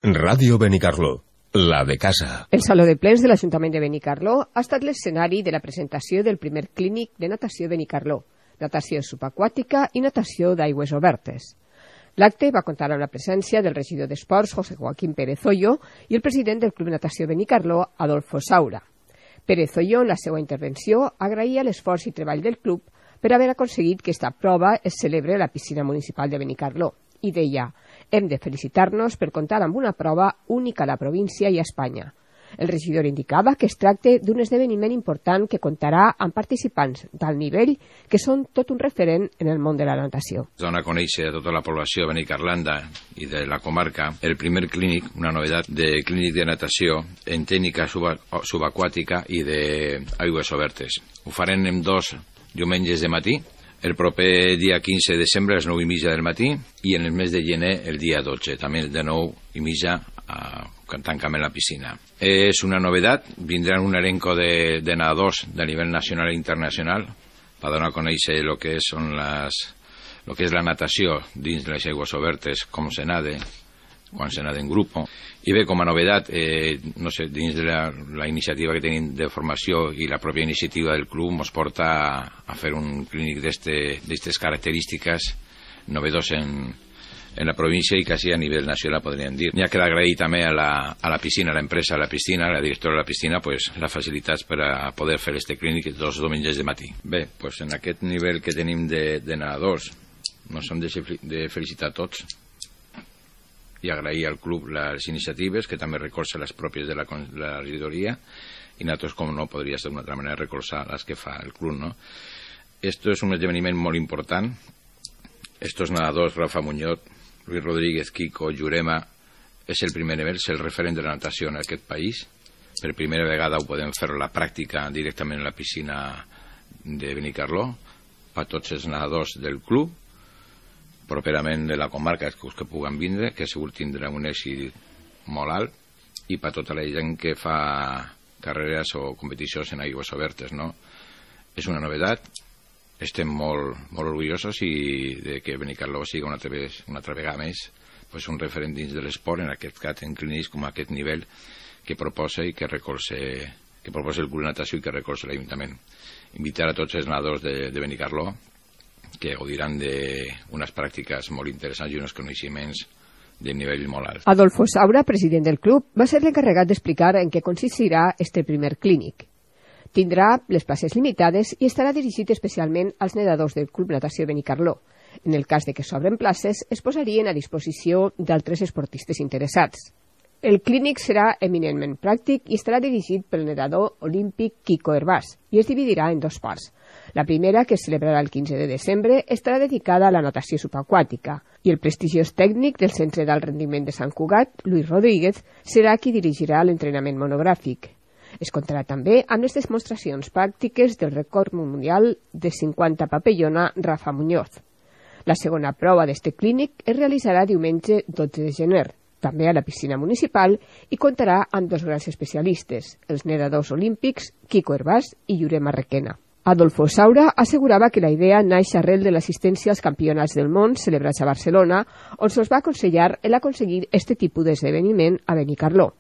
Ràdio Benicarló, la de casa. El Saló de Plens de l'Ajuntament de Benicarló ha estat l'escenari de la presentació del primer clínic de natació Benicarló, natació subaquàtica i natació d'aigües obertes. L'acte va comptar amb la presència del regidor d'Esports, José Joaquín Pérez Hoyo, i el president del Club Natació Benicarló, Adolfo Saura. Pérez Hoyo, en la seva intervenció, agraïa l'esforç i treball del club per haver aconseguit que esta prova es celebre a la piscina municipal de Benicarló, i deia: hem de felicitar-nos per comptar amb una prova única a la província i a Espanya. El regidor indicava que es tracta d'un esdeveniment important que comptarà amb participants d'alt nivell que són tot un referent en el món de la natació. Dona a conèixer a tota la població benicarlanda i de la comarca el primer clínic, una novetat de clínic de natació en tècnica subaquàtica i d'aigües obertes. Ho farem en 2 diumenges de matí, el proper dia 15 de desembre a les 9:30 del matí i en el mes de gener el dia 12, també de 9:30 quan tancam en la piscina. És una novetat, vindran un elenco de nedadors de nivell nacional i internacional per donar a conèixer el que és la natació dins de les aigües obertes, com se nada, quan se nada en grup. I bé, com a novetat, no sé, dins de la iniciativa que tenim de formació i la pròpia iniciativa del club ens porta a fer un clínic d'aquestes característiques novedós en la província i quasi a nivell nacional, podríem dir. N'hi ha que agrair també a la piscina, a l'empresa de la piscina, a la directora de la piscina, pues, les facilitats per a poder fer este clínic 2 diumenges de matí. Bé, pues, en aquest nivell que tenim de nedadors, ens hem de felicitar a tots i agrair al club les iniciatives, que també recolza les pròpies de la regidoria, i nosaltres, com no, podria ser d'una altra manera recolzar les que fa el club, no? Esto és un esdeveniment molt important. Estos nadadors, Rafa Muñoz, Luis Rodríguez, Kiko, Jurema, és el primer nivell, és el referent de la natació en aquest país. Per primera vegada ho podem fer la pràctica directament en la piscina de Benicarló, a tots els nedadors del club, properament de la comarca que puguen vindre, que segur tindrà un èxit molt alt, i per tota la gent que fa carreres o competicions en aigües obertes, no? És una novetat, estem molt orgullosos de que Benicarló sigui una altra vegada més pues un referent dins de l'esport, en aquest cas en clínics com aquest nivell que proposa i que proposa el club de natació i que recolza l'Ajuntament. Invitar a tots els nedadors de Benicarló que gaudiran d'unes pràctiques molt interessants i uns coneixements de nivell molt alt. Adolfo Saura, president del club, va ser l'encarregat d'explicar en què consistirà este primer clínic. Tindrà les places limitades i estarà dirigit especialment als nedadors del Club Natació Benicarló. En el cas de que s'obren places, es posarien a disposició d'altres esportistes interessats. El clínic serà eminentment pràctic i estarà dirigit pel nedador olímpic Kiko Hervás i es dividirà en 2 parts. La primera, que es celebrarà el 15 de desembre, estarà dedicada a la natació subaquàtica i el prestigiós tècnic del Centre d'Alt Rendiment de Sant Cugat, Luis Rodríguez, serà qui dirigirà l'entrenament monogràfic. Es comptarà també amb les demostracions pràctiques del rècord mundial de 50 papellona Rafa Muñoz. La segona prova d'este clínic es realitzarà diumenge 12 de gener, també a la piscina municipal, i comptarà amb 2 grans especialistes, els nedadors olímpics Kiko Hervás i Jurema Requena. Adolfo Saura assegurava que la idea naix arrel de l'assistència als campionats del món celebrats a Barcelona, on se'ls va aconsellar aconseguir este tipus d'esdeveniment a Benicarló.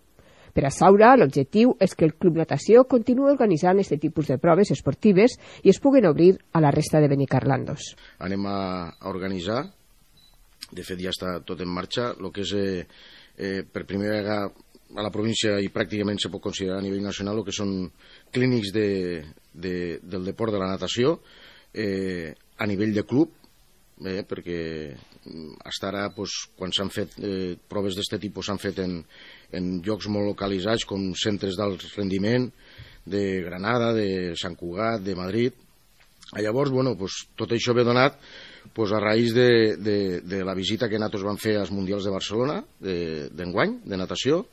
Per a Saura, l'objectiu és que el Club Natació continuï organitzant aquest tipus de proves esportives i es puguen obrir a la resta de benicarlandos. Anem a organitzar, de fet ja està tot en marxa, el que és per primera vegada a la província i pràcticament se pot considerar a nivell nacional el que són clínics del deport de la natació a nivell de club, perquè fins ara quan s'han fet proves d'aquest tipus s'han fet en llocs molt localitzats com centres d'alt rendiment de Granada, de Sant Cugat, de Madrid. Llavors, tot això ve donat a raïs de la visita que nosaltres vam fer als Mundials de Barcelona d'enguany, de natació.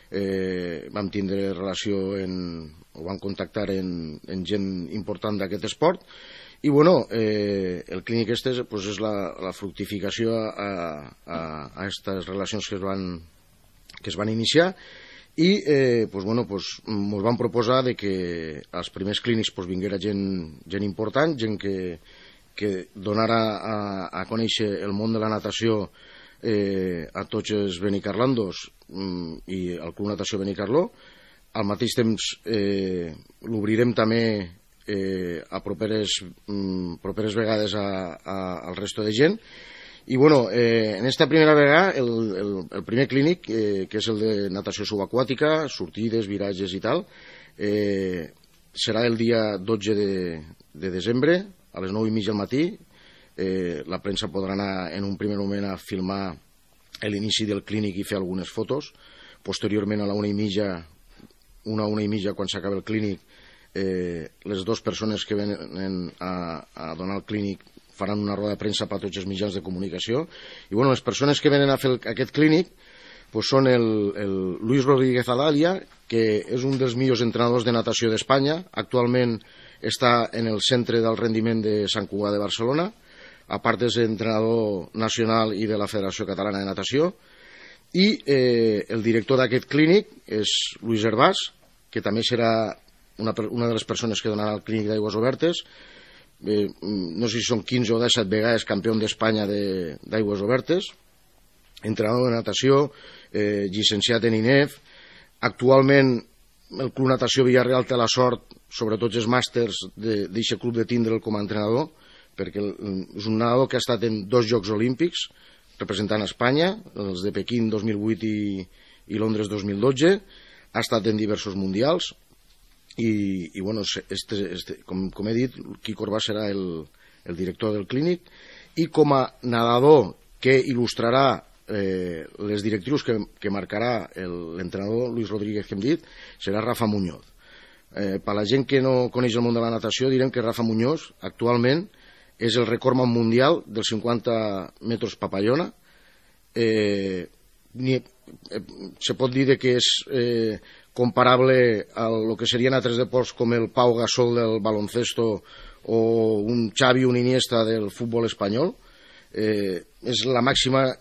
Vam tindre relació o vam contactar en gent important d'aquest esport i el clínic és la fructificació a aquestes relacions que es van iniciar i ens van proposar que als primers clínics vinguera gent important, gent que donara a conèixer el món de la natació a tots els benicarlandos i el Club Natació Benicarló. Al mateix temps l'obrirem també a properes vegades al resto de gent. I bueno, en esta primera vegada el primer clínic, que és el de natació subaquàtica, sortides, viratges i tal, serà el dia 12 de desembre a les 9:30 del matí. La premsa podrà anar en un primer moment a filmar l'inici del clínic i fer algunes fotos. Posteriorment a la 1:30, quan s'acaba el clínic, les dues persones que venen a donar el clínic faran una roda de premsa per a tots els mitjans de comunicació. I bueno, les persones que venen a fer aquest clínic pues són el Luis Rodríguez Adalia, que és un dels millors entrenadors de natació d'Espanya. Actualment està en el Centre del Rendiment de Sant Cugat de Barcelona. A part és entrenador nacional i de la Federació Catalana de Natació. I el director d'aquest clínic és Luis Hervás, que també serà una de les persones que donarà el clínic d'aigües obertes. No sé si són 15 o 17 vegades campió d'Espanya d'aigües obertes, entrenador de natació, llicenciat en INEF. Actualment el Club Natació Villarreal té la sort, sobretot els màsters, d'aquest club de tindre'l com a entrenador, perquè és un nedador que ha estat en 2 Jocs Olímpics representant Espanya, els de Pequín 2008 i Londres 2012, ha estat en diversos mundials. I bueno, com he dit, Quico Orbà serà el director del clínic, i com a nedador que il·lustrarà les directrius que marcarà l'entrenador Luis Rodríguez que hem dit, serà Rafa Muñoz. Per la gent que no coneix el món de la natació, direm que Rafa Muñoz actualment és el recordman mundial dels 50 metres papallona. Se pot dir que és comparable a lo que serien altres deports com el Pau Gasol del baloncesto o un Xavi, un Iniesta del futbol espanyol. És la màxima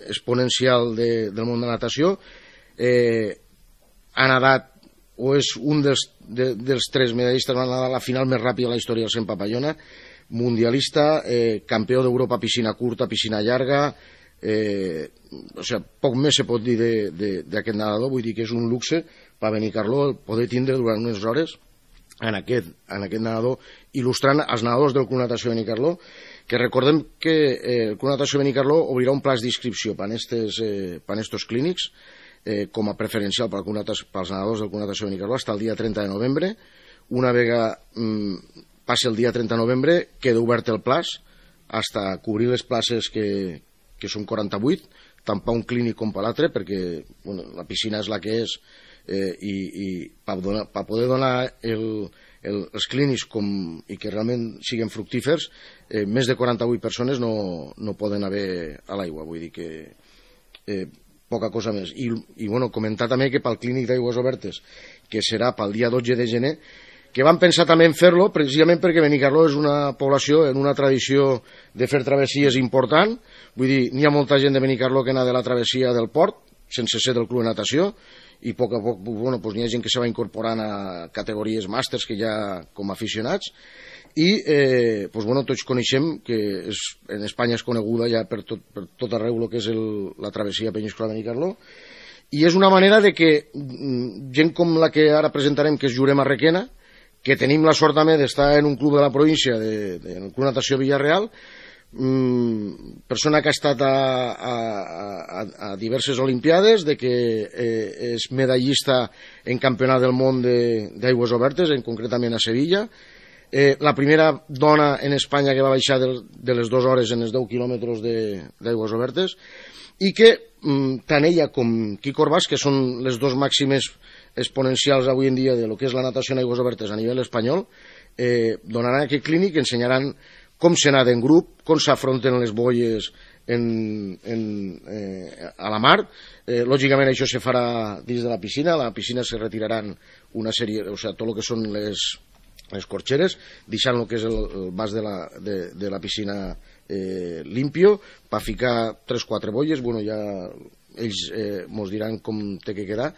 exponencial del món de natació. Ha nadat, o és un dels 3 medallistes, va nedar la final més ràpida de la història del 100 papallona, mundialista, campió d'Europa piscina curta, piscina llarga. Poc més se pot dir d'aquest nedador. Vull dir que és un luxe per Benicarló el poder tindre durant unes hores en aquest nedador, il·lustrant els nedadors del Club Natació Benicarló, que recordem que el Club Natació Benicarló obrirà un plaç d'inscripció per a estos clínics com a preferencial pels nedadors del Club Natació Benicarló fins al dia 30 de novembre. Una vegada passi el dia 30 de novembre queda obert el plaç fins a cobrir les places que són 48, tant per un clínic com per l'altre, perquè la piscina és la que és, i per poder donar els clínics i que realment siguin fructífers, més de 48 persones no poden haver a l'aigua. Vull dir que poca cosa més. I comentar també que pel clínic d'aigües obertes, que serà pel dia 12 de gener, que van pensar també en fer-lo precisament perquè Benicarló és una població en una tradició de fer travessies important. Vull dir, n'hi ha molta gent de Benicarló que nada de la travessia del port, sense ser del club de natació, i a poc a poc n'hi ha gent que se va incorporant a categories màsters que ja com aficionats. I tots coneixem que en Espanya és coneguda ja per tot arreu el que és la travessia Peníscola Benicarló, i és una manera de que gent com la que ara presentarem, que és Jurema Requena, que tenim la sort també d'estar en un club de la província, en el Club Natació Villarreal, persona que ha estat a diverses olimpiades, de que és medallista en campionat del món d'aigües obertes, concretament a Sevilla, la primera dona en Espanya que va baixar de les 2 hores en els 10 quilòmetres d'aigües obertes, i que tant ella com Quico Orbàs, que són les 2 màximes exponencials avui en dia de lo que és la natació en aigües obertes a nivell espanyol, donaran aquest clínic, ensenyaran com se nada en grup, com s'afronten les boies a la mar. Lògicament això se farà dins de la piscina. A la piscina se retiraran una sèrie, tot el que són les corxeres, deixant el que és el vas de la piscina limpio, per ficar 3-4 boies. Ja ells mos diran com té que quedar.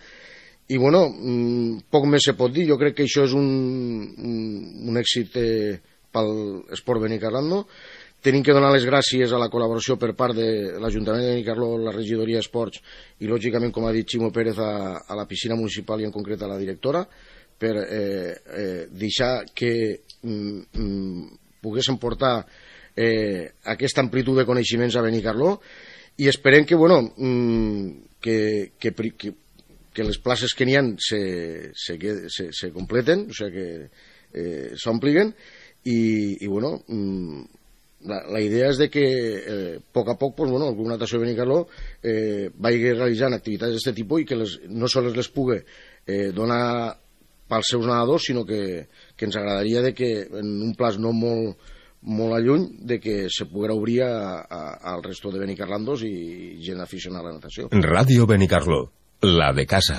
I poc més se pot dir. Jo crec que això és un èxit pel esport benicarlando. Tenim que donar les gràcies a la col·laboració per part de l'Ajuntament de Benicarló, la regidoria d'Esports i, lògicament, com ha dit Ximo Pérez, a la piscina municipal i en concret a la directora, per deixar que poguéssim portar aquesta amplitud de coneixements a Benicarló, i esperem que, que les places que n'hi ha se completen, o sigui que s'ompliguen, i la idea és de que a poc a poc el Club Natació Benicarló vagi realitzant activitats d'aquest tipus i que no sols les pugui donar pels seus nedadors, sinó que ens agradaria que en un plaç no molt a lluny de que se poguera obrir al resto de benicarlandos i gent aficionada a la natació. Radio Benicarló, la de casa.